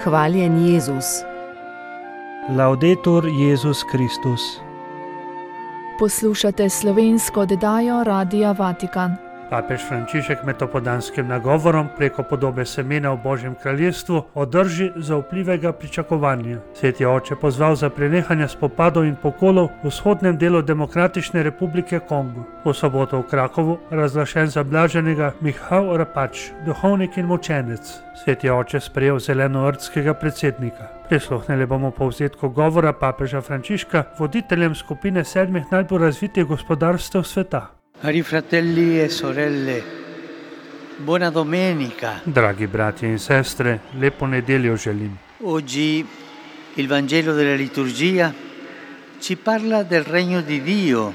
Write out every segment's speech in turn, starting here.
Hvaljen Jezus. Laudetur Jezus Kristus. Poslušate slovensko oddajo Radia Vatikan. Papež Frančišek med opoldanskim nagovorom preko podobe semena v Božjem kraljestvu o drži zaupljivega pričakovanja. Sveti oče pozval za prenehanje spopadov in pokolov v vzhodnem delu Demokratične republike Kongo. V soboto v Krakovu razglašen za blaženega Michal Rapač, duhovnik in mučenec. Sveti oče sprejel zelenoordskega predsednika. Prisluhnili bomo povzetku govora papeža Frančiška voditeljem skupine 7 najbolj razvitih gospodarstev sveta. Cari fratelli e sorelle, buona domenica. Dragi bratje in sestre, lepo nedeljo želim. Oggi il Vangelo della liturgia ci parla del regno di Dio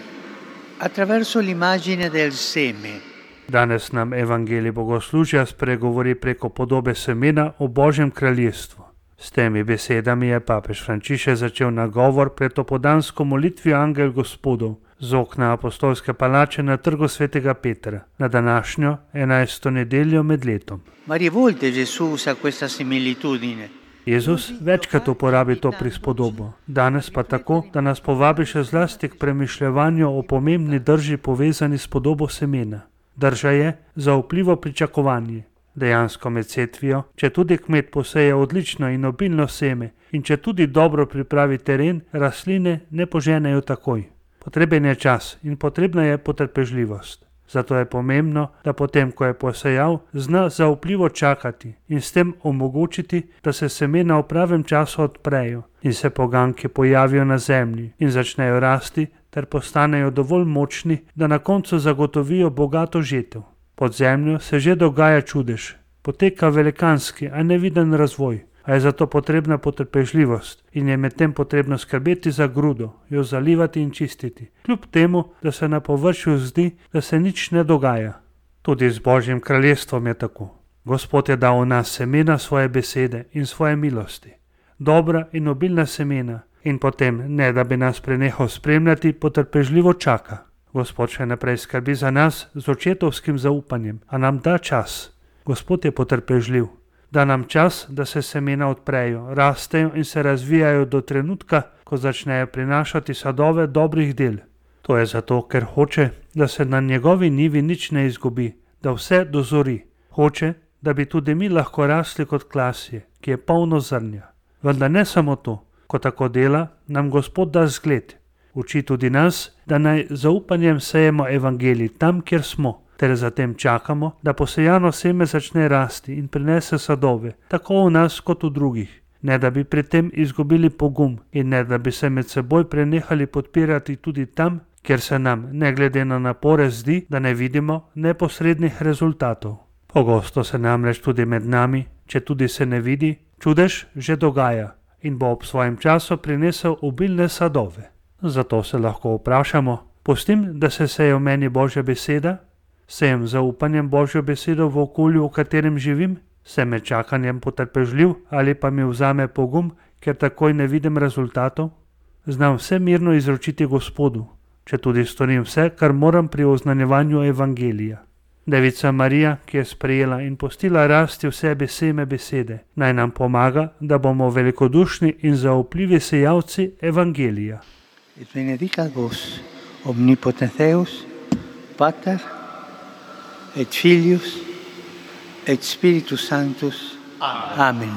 attraverso l'immagine del seme. Danes nam evangelij bogoslužja spregovori preko podobe semena o Božjem kraljestvu. S temi besedami je papež Frančišek začel nagovor pred opoldansko molitvijo Angel Gospodov z okna apostolske palače na trgu svetega Petra, na današnjo 11. nedeljo med letom. Varie volte Gesù usa questa similitudine. Jezus večkrat uporabi to prispodobo, danes pa tako, da nas povabi še zlasti k premišljevanju o pomembni drži povezani s podobo semena. Drža je zaupljivo pričakovanje. Dejansko med setvijo, če tudi kmet poseje odlično in obilno seme in če tudi dobro pripravi teren, rastline ne poženejo takoj. Potreben je čas in potrebna je potrpežljivost. Zato je pomembno, da potem, ko je posejal, zna zaupljivo čakati in s tem omogočiti, da se semena v pravem času odprejo in se poganjki pojavijo na zemlji in začnejo rasti ter postanejo dovolj močni, da na koncu zagotovijo bogato žetev. Pod zemljo se že dogaja čudež, poteka velikanski, a neviden razvoj, a je zato potrebna potrpežljivost in je medtem potrebno skrbeti za grudo, jo zalivati in čistiti, kljub temu, da se na površju zdi, da se nič ne dogaja. Tudi z Božjim kraljestvom je tako. Gospod je dal v nas semena svoje besede in svoje milosti, dobra in obilna semena, in potem, ne da bi nas prenehal spremljati, potrpežljivo čaka. Gospod še naprej skrbi za nas z očetovskim zaupanjem, a nam da čas. Gospod je potrpežljiv. Da nam čas, da se semena odprejo, rastejo in se razvijajo do trenutka, ko začnejo prinašati sadove dobrih del. To je zato, ker hoče, da se na njegovi njivi nič ne izgubi, da vse dozori. Hoče, da bi tudi mi lahko rasli kot klasje, ki je polno zrnja. Vendar ne samo to, ko tako dela, nam Gospod da zgled. Uči tudi nas, da naj zaupanjem sejemo evangelij tam, kjer smo, ter zatem čakamo, da posejano seme začne rasti in prinese sadove, tako v nas kot v drugih, ne da bi pri tem izgubili pogum in ne da bi se med seboj prenehali podpirati tudi tam, kjer se nam, ne glede na napore, zdi, da ne vidimo neposrednih rezultatov. Pogosto se namreč tudi med nami, če tudi se ne vidi, čudež že dogaja in bo ob svojem času prinesel obilne sadove. Zato se lahko vprašamo, pustim, da se seje v meni Božja beseda? Sejem zaupanjem Božjo besedo v okolju, v katerem živim? Sem med čakanjem potrpežljiv ali pa mi vzame pogum, ker takoj ne vidim rezultatov? Znam vse mirno izročiti Gospodu, če tudi storim vse, kar moram pri oznanjevanju evangelija. Devica Marija, ki je sprejela in pustila rasti v sebi seme besede, naj nam pomaga, da bomo velikodušni in zaupljivi sejalci evangelija. Et benedicat vos, omnipotens Deus, Pater, et Filius, et Spiritus Sanctus. Amen.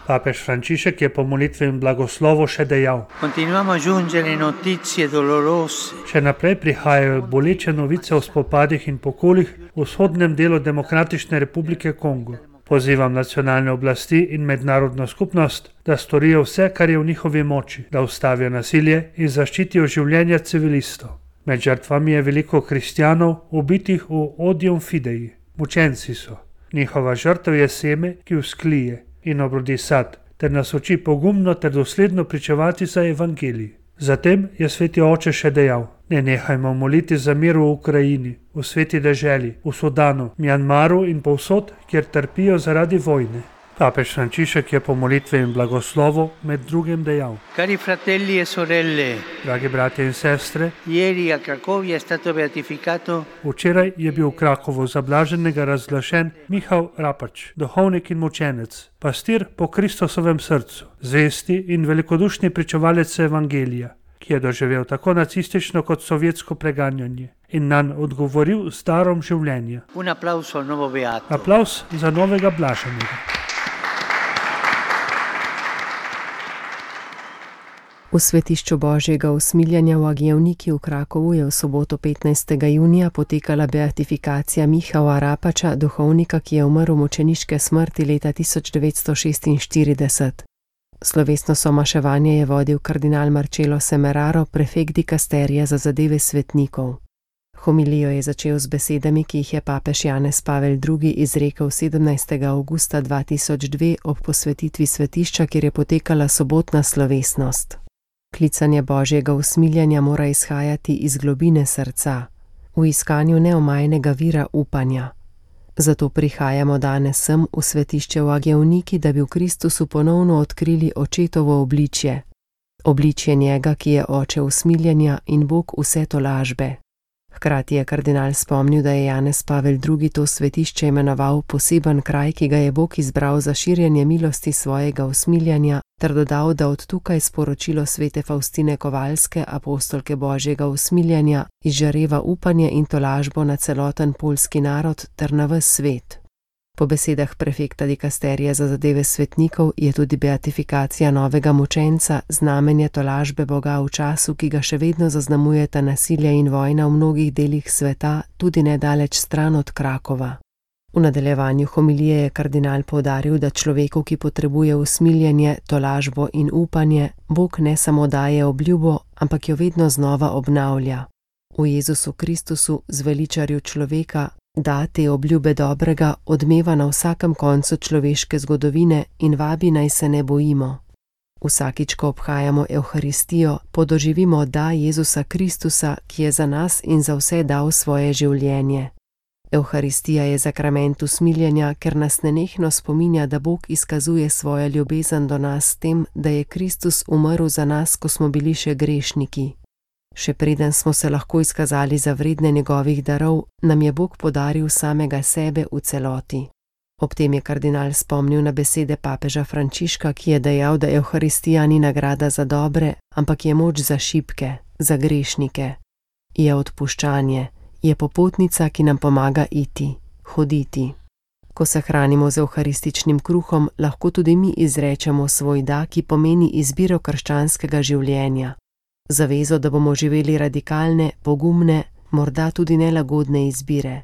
Papež Frančišek je po molitvi in blagoslovu še dejal: Continuiamo a giungere notizie dolorose. Še naprej prihajajo boleče novice o spopadih in pokolih v vzhodnem delu Demokratične republike Kongo. Pozivam nacionalne oblasti in mednarodno skupnost, da storijo vse, kar je v njihovi moči, da ustavijo nasilje in zaščitijo življenja civilistov. Med žrtvami je veliko kristjanov, ubitih v odium fidei. Mučenci so. Njihova žrtev je seme, ki vzklije in obrodi sad, ter nas uči pogumno ter dosledno pričevati za evangelij. Zatem je sveti oče še dejal: ne nehajmo moliti za mir v Ukrajini, v sveti deželi, v Sudanu, Mjanmaru in povsod, kjer trpijo zaradi vojne. Papež Frančišek je po molitvi in blagoslovu med drugim dejal: Cari fratelli e sorelle, Dragi bratje in sestre, ieri a Cracovia è stato beatificato včeraj je bil v Krakovu za blaženega razglašen Michał Rapač, duhovnik in mučenec, pastir po Kristusovem srcu, zvesti in velikodušni pričevalec evangelija, ki je doživel tako nacistično kot sovjetsko preganjanje in nanj odgovoril z darom življenja. Un applauso al nuovo beato. Aplavz za novega blaženega. V svetišču Božjega usmiljanja v Agijevniki v Krakovu je v soboto 15. junija potekala beatifikacija Michała Rapača, duhovnika, ki je umrl mučeniške smrti leta 1946. Slovesno somaševanje je vodil kardinal Marcello Semeraro, prefekt dikasterija za zadeve svetnikov. Homilijo je začel z besedami, ki jih je papež Janez Pavel II. Izrekel 17. avgusta 2002 ob posvetitvi svetišča, kjer je potekala sobotna slovesnost. Klicanje Božjega usmiljanja mora izhajati iz globine srca, v iskanju neomajnega vira upanja. Zato prihajamo danes sem v svetišče v Agijevniki, da bi v Kristusu ponovno odkrili očetovo obličje. Obličje njega, ki je oče usmiljanja in Bog vse tolažbe. Hkrati je kardinal spomnil, da je Janez Pavel II. To svetišče imenoval poseben kraj, ki ga je Bog izbral za širjenje milosti svojega usmiljanja, ter dodal, da od tukaj sporočilo svete Faustine Kovalske, apostolke Božjega usmiljanja, izžareva upanje in tolažbo na celoten poljski narod ter na ves svet. Po besedah prefekta dikasterija za zadeve svetnikov je tudi beatifikacija novega mučenca znamenje tolažbe Boga v času, ki ga še vedno zaznamujeta nasilje in vojna v mnogih delih sveta, tudi nedaleč stran od Krakova. V nadaljevanju homilije je kardinal poudaril, da človeku, ki potrebuje usmiljanje, tolažbo in upanje, Bog ne samo daje obljubo, ampak jo vedno znova obnavlja. V Jezusu Kristusu, zveličarju človeka, da te obljube dobrega odmeva na vsakem koncu človeške zgodovine in vabi, naj se ne bojimo. Vsakič, ko obhajamo Evharistijo, podoživimo da Jezusa Kristusa, ki je za nas in za vse dal svoje življenje. Evharistija je zakrament usmiljenja, ker nas nenehno spominja, da Bog izkazuje svojo ljubezen do nas s tem, da je Kristus umrl za nas, ko smo bili še grešniki. Še preden smo se lahko izkazali za vredne njegovih darov, nam je Bog podaril samega sebe v celoti. Ob tem je kardinal spomnil na besede papeža Frančiška, ki je dejal, da Evharistija ni nagrada za dobre, ampak je moč za šibke, za grešnike. Je odpuščanje, je popotnica, ki nam pomaga iti, hoditi. Ko se hranimo z evharističnim kruhom, lahko tudi mi izrečemo svoj da, ki pomeni izbiro krščanskega življenja. Zavezo, da bomo živeli radikalne, pogumne, morda tudi nelagodne izbire.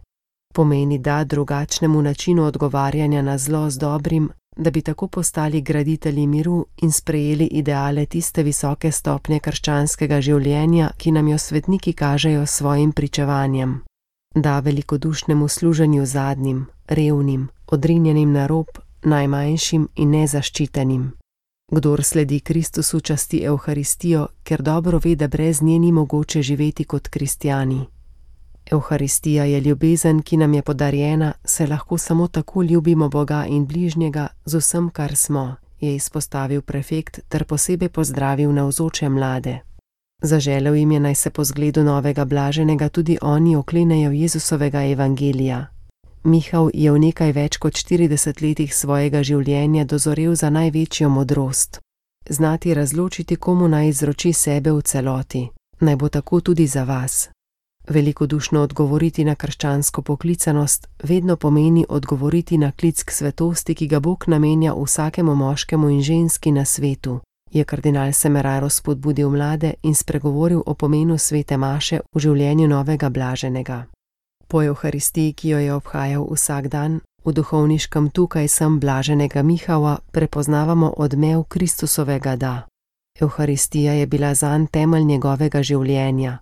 Pomeni da drugačnemu načinu odgovarjanja na zlo z dobrim, da bi tako postali graditelji miru in sprejeli ideale tiste visoke stopnje krščanskega življenja, ki nam jo svetniki kažejo s svojim pričevanjem. Da velikodušnemu služenju zadnjim, revnim, odrinjenim na rob, najmanjšim in nezaščitenim. Kdor sledi Kristusu, časti Evharistijo, ker dobro ve, da brez nje ni mogoče živeti kot kristjani. Evharistija je ljubezen, ki nam je podarjena, se lahko samo tako ljubimo Boga in bližnjega z vsem, kar smo, je izpostavil prefekt ter posebej pozdravil navzoče mlade. Zaželel jim je, naj se po zgledu novega blaženega tudi oni oklenejo Jezusovega evangelija. Michał je v nekaj več kot 40 letih svojega življenja dozorel za največjo modrost. Znati razločiti, komu naj izroči sebe v celoti. Naj bo tako tudi za vas. Velikodušno odgovoriti na krščansko poklicanost vedno pomeni odgovoriti na klic k svetosti, ki ga Bog namenja vsakemu moškemu in ženski na svetu, je kardinal Semeraro spodbudil mlade in spregovoril o pomenu svete maše v življenju novega blaženega. Po Evharistiji, ki jo je obhajal vsak dan, v duhovniškem tukaj sem blaženega Michała prepoznavamo odmev Kristusovega da. Evharistija je bila zanj temelj njegovega življenja.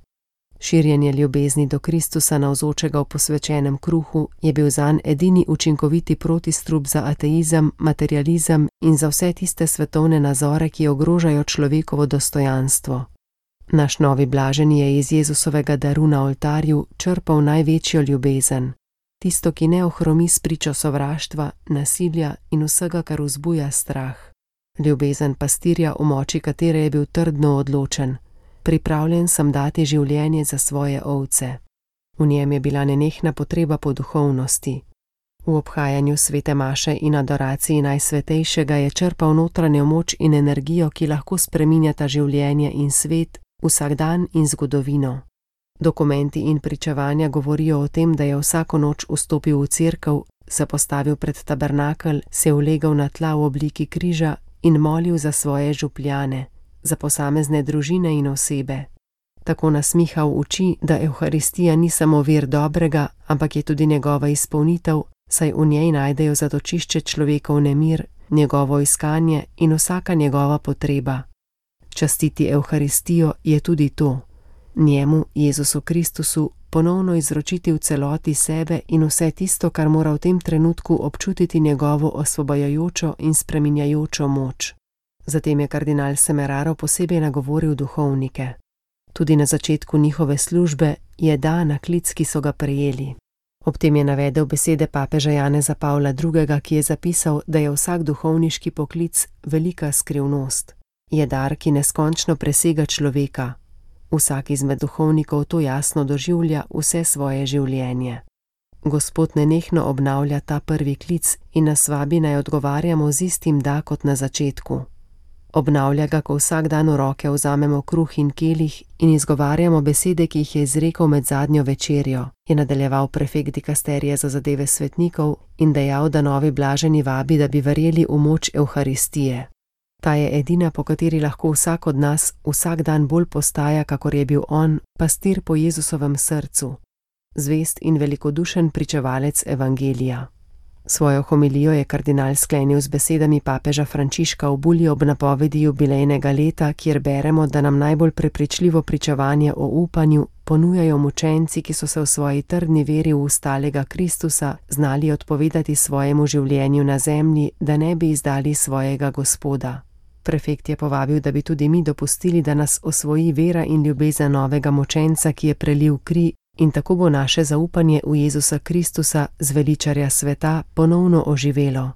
Širjenje ljubezni do Kristusa navzočega v posvečenem kruhu je bil zanj edini učinkoviti protistrup za ateizem, materializem in za vse tiste svetovne nazore, ki ogrožajo človekovo dostojanstvo. Naš novi blaženi je iz Jezusovega daru na oltarju črpal največjo ljubezen. tisto, ki ne ohromi s pričo sovraštva, nasilja in vsega, kar vzbuja strah. Ljubezen pastirja, v moči katere je bil trdno odločen. Pripravljen sem dati življenje za svoje ovce. V njem je bila nenehna potreba po duhovnosti. V obhajanju svete maše in adoraciji Najsvetejšega je črpal notranjo moč in energijo, ki lahko spreminjata življenje in svet, vsakdan in zgodovino. Dokumenti in pričevanja govorijo o tem, da je vsako noč vstopil v cerkev, se postavil pred tabernakelj, se ulegel na tla v obliki križa in molil za svoje župljane, za posamezne družine in osebe. Tako nasmihal oči, da Evharistija ni samo vir dobrega, ampak je tudi njegova izpolnitev, saj v njej najdejo zatočišče človekov nemir, njegovo iskanje in vsaka njegova potreba. Častiti Evharistijo je tudi to. Njemu, Jezusu Kristusu, ponovno izročiti v celoti sebe in vse tisto, kar mora v tem trenutku občutiti njegovo osvobajajočo in spreminjajočo moč. Zatem je kardinal Semeraro posebej nagovoril duhovnike. Tudi na začetku njihove službe je na klic, ki so ga prejeli. Ob tem je navedel besede papeža Janeza Pavla II., ki je zapisal, da je vsak duhovniški poklic velika skrivnost. Je dar, ki neskončno presega človeka. Vsak izmed duhovnikov to jasno doživlja vse svoje življenje. Gospod nenehno obnavlja ta prvi klic in nas vabi, naj odgovarjamo z istim da kot na začetku. Obnavlja ga, ko vsak dan v roke vzamemo kruh in kelih in izgovarjamo besede, ki jih je izrekel med zadnjo večerjo, je nadaljeval prefekt dikasterije za zadeve svetnikov in dejal, da novi blaženi vabi, da bi verjeli v moč Evharistije. Ta je edina, po kateri lahko vsak od nas vsak dan bolj postaja, kakor je bil on, pastir po Jezusovem srcu, zvest in velikodušen pričevalec evangelija. Svojo homilijo je kardinal sklenil z besedami papeža Frančiška v bulji ob napovedi jubilejnega leta, kjer beremo, da nam najbolj prepričljivo pričevanje o upanju ponujajo mučenci, ki so se v svoji trdni veri v ustalega Kristusa znali odpovedati svojemu življenju na zemlji, da ne bi izdali svojega Gospoda. Prefekt je povabil, da bi tudi mi dopustili, da nas osvoji vera in ljubezen novega mučenca, ki je prelil kri, in tako bo naše zaupanje v Jezusa Kristusa, zveličarja sveta, ponovno oživelo.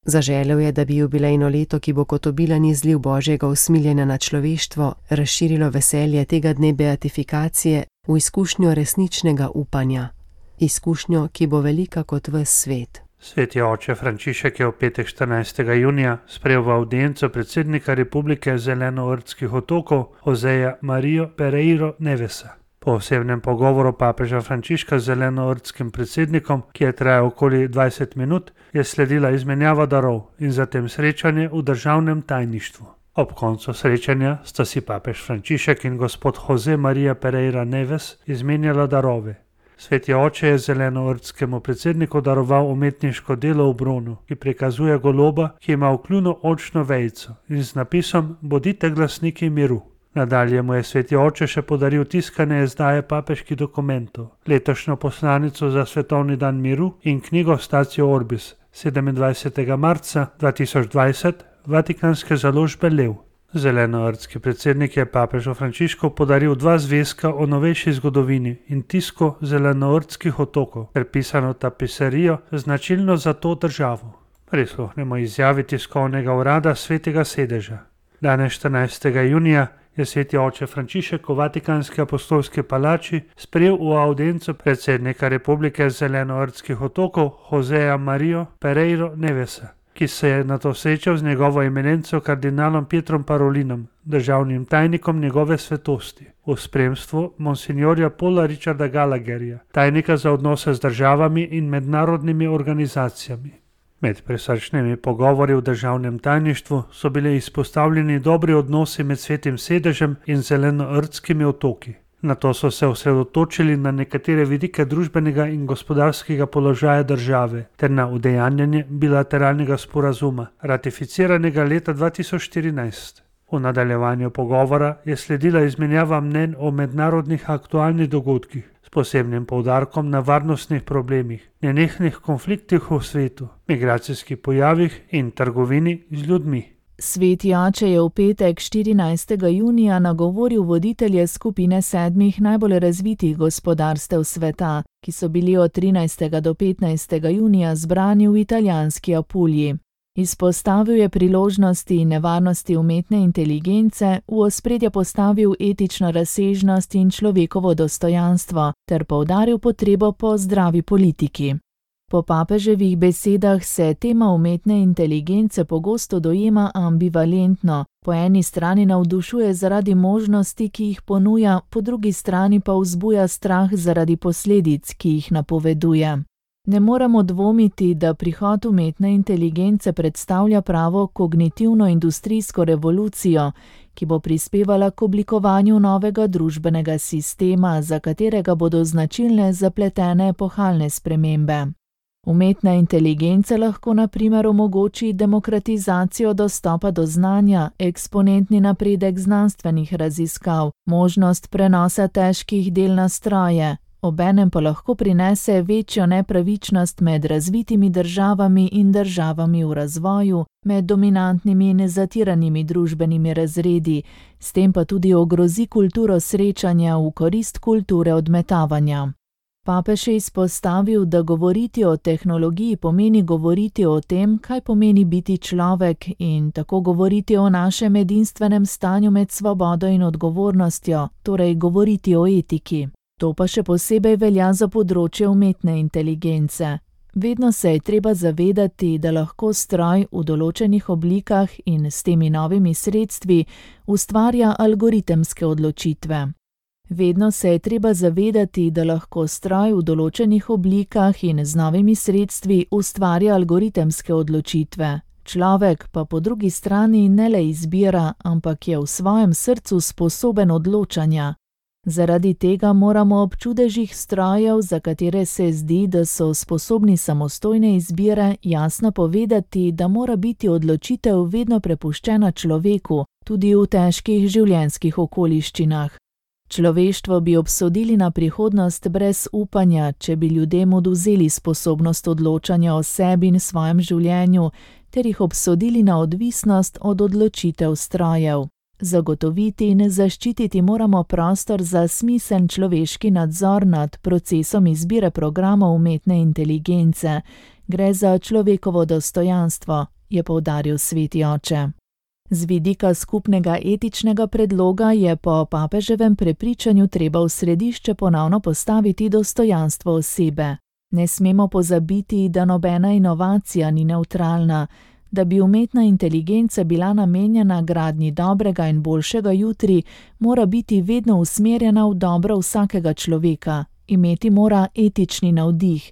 Zaželel je, da bi jubilejno leto, ki bo kot obilen izliv Božjega usmiljenja na človeštvo, razširilo veselje tega dne beatifikacije v izkušnjo resničnega upanja. Izkušnjo, ki bo velika kot ves svet. Sveti oče Frančišek je v petek 14. junija sprejel v avdienco predsednika Republike Zelenoortskih otokov Joseja Marijo Pereiro Nevesa. Po osebnem pogovoru papeža Frančiška z zelenoortskim predsednikom, ki je trajal okoli 20 minut, je sledila izmenjava darov in zatem srečanje v državnem tajništvu. Ob koncu srečanja sta si papež Frančišek in gospod Jose Maria Pereira Neves izmenjala darove. Sveti oče je zelenoortskemu predsedniku daroval umetniško delo v bronu, ki prikazuje goloba, ki ima v kljunu oljčno vejico in z napisom Bodite glasniki miru. Nadalje mu je sveti oče še podaril tiskane izdaje papeških dokumentov, letošnjo poslanico za svetovni dan miru in knjigo Statio Orbis 27. marca 2020 Vatikanske založbe Lev. Zelenoortski predsednik je papežu Frančišku podaril 2 zvezka o novejši zgodovini in tisko zelenoortskih otokov ter pisano tapiserijo značilno za to državo. Prisluhnemo izjavi tiskovnega urada Svetega sedeža. Danes 14. junija je sveti oče Frančišek v Vatikanski apostolski palači sprejel v avdienco predsednika Republike Zelenoortskih otokov Joseja Marijo Pereiro Nevesa, ki se je nato srečal z njegovo eminenco kardinalom Pietrom Parolinom, državnim tajnikom njegove svetosti, v spremstvu monsignorja Paula Richarda Gallagherja, tajnika za odnose z državami in mednarodnimi organizacijami. Med prisrčnimi pogovori v državnem tajništvu so bili izpostavljeni dobri odnosi med svetim sedežem in zelenoortskimi otoki. Nato so se osredotočili na nekatere vidike družbenega in gospodarskega položaja države ter na udejanjanje bilateralnega sporazuma, ratificiranega leta 2014. V nadaljevanju pogovora je sledila izmenjava mnenj o mednarodnih aktualnih dogodkih, s posebnim poudarkom na varnostnih problemih, nenehnih konfliktih v svetu, migracijskih pojavih in trgovini z ljudmi. Sveti oče je v petek 14. junija nagovoril voditelje skupine 7 najbolj razvitih gospodarstev sveta, ki so bili od 13. do 15. junija zbrani v italijanski Apulji. Izpostavil je priložnosti in nevarnosti umetne inteligence, v ospredje postavil etično razsežnost in človekovo dostojanstvo ter poudaril potrebo po zdravi politiki. Po papeževih besedah se tema umetne inteligence pogosto dojema ambivalentno, po eni strani navdušuje zaradi možnosti, ki jih ponuja, po drugi strani pa vzbuja strah zaradi posledic, ki jih napoveduje. Ne moremo dvomiti, da prihod umetne inteligence predstavlja pravo kognitivno-industrijsko revolucijo, ki bo prispevala k oblikovanju novega družbenega sistema, za katerega bodo značilne zapletene epohalne spremembe. Umetna inteligenca lahko na primer omogoči demokratizacijo dostopa do znanja, eksponentni napredek znanstvenih raziskav, možnost prenosa težkih del na stroje, obenem pa lahko prinese večjo nepravičnost med razvitimi državami in državami v razvoju, med dominantnimi in zatiranimi družbenimi razredi, s tem pa tudi ogrozi kulturo srečanja v korist kulture odmetavanja. Papež je izpostavil, da govoriti o tehnologiji pomeni govoriti o tem, kaj pomeni biti človek in tako govoriti o našem edinstvenem stanju med svobodo in odgovornostjo, torej govoriti o etiki. To pa še posebej velja za področje umetne inteligence. Vedno se je treba zavedati, da lahko stroj v določenih oblikah in s temi novimi sredstvi ustvarja algoritemske odločitve. Vedno se je treba zavedati, da lahko stroj v določenih oblikah in z novimi sredstvi ustvarja algoritemske odločitve. Človek pa po drugi strani ne le izbira, ampak je v svojem srcu sposoben odločanja. Zaradi tega moramo ob čudežih strojev, za katere se zdi, da so sposobni samostojne izbire, jasno povedati, da mora biti odločitev vedno prepuščena človeku, tudi v težkih življenjskih okoliščinah. Človeštvo bi obsodili na prihodnost brez upanja, če bi ljudem odvzeli sposobnost odločanja o sebi in svojem življenju, ter jih obsodili na odvisnost od odločitev strojev. Zagotoviti in zaščititi moramo prostor za smiseln človeški nadzor nad procesom izbire programov umetne inteligence. Gre za človekovo dostojanstvo, je poudaril sveti oče. Z vidika skupnega etičnega predloga je po papeževem prepričanju treba v središče ponovno postaviti dostojanstvo osebe. Ne smemo pozabiti, da nobena inovacija ni nevtralna. Da bi umetna inteligenca bila namenjena gradnji dobrega in boljšega jutri, mora biti vedno usmerjena v dobro vsakega človeka, imeti mora etični navdih.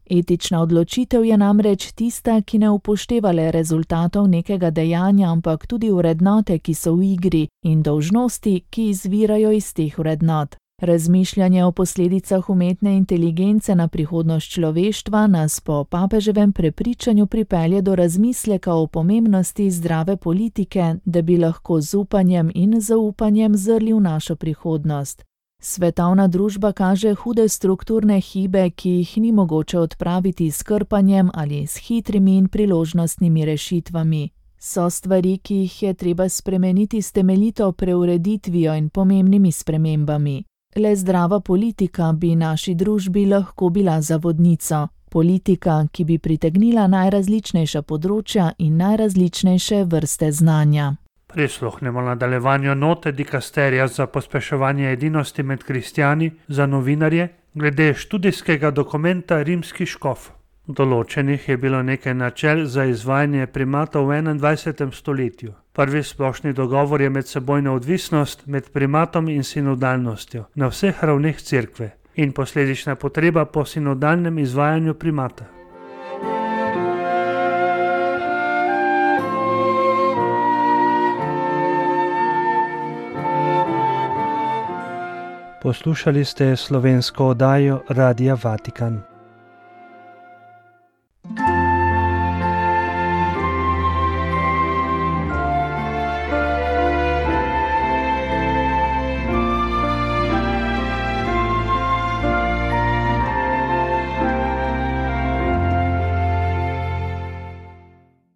Etična odločitev je namreč tista, ki ne upošteva le rezultatov nekega dejanja, ampak tudi vrednote, ki so v igri, in dolžnosti, ki izvirajo iz teh vrednot. Razmišljanje o posledicah umetne inteligence na prihodnost človeštva nas po papeževem prepričanju pripelje do razmisleka o pomembnosti zdrave politike, da bi lahko z upanjem in zaupanjem zrli v našo prihodnost. Svetovna družba kaže hude strukturne hibe, ki jih ni mogoče odpraviti s krpanjem ali s hitrimi in priložnostnimi rešitvami. So stvari, ki jih je treba spremeniti s temeljito preureditvijo in pomembnimi spremembami. Le zdrava politika bi naši družbi lahko bila za vodnico. Politika, ki bi pritegnila najrazličnejša področja in najrazličnejše vrste znanja. Prisluhnemo nadaljevanju note dikasterija za pospeševanje edinosti med kristjani za novinarje glede študijskega dokumenta Rimski škof. Določenih je bilo nekaj načel za izvajanje primata v 21. stoletju. Prvi splošni dogovor je medsebojna odvisnost med primatom in sinodalnostjo na vseh ravneh cerkve in posledična potreba po sinodalnem izvajanju primata. Poslušali ste slovensko oddajo Radia Vatikan.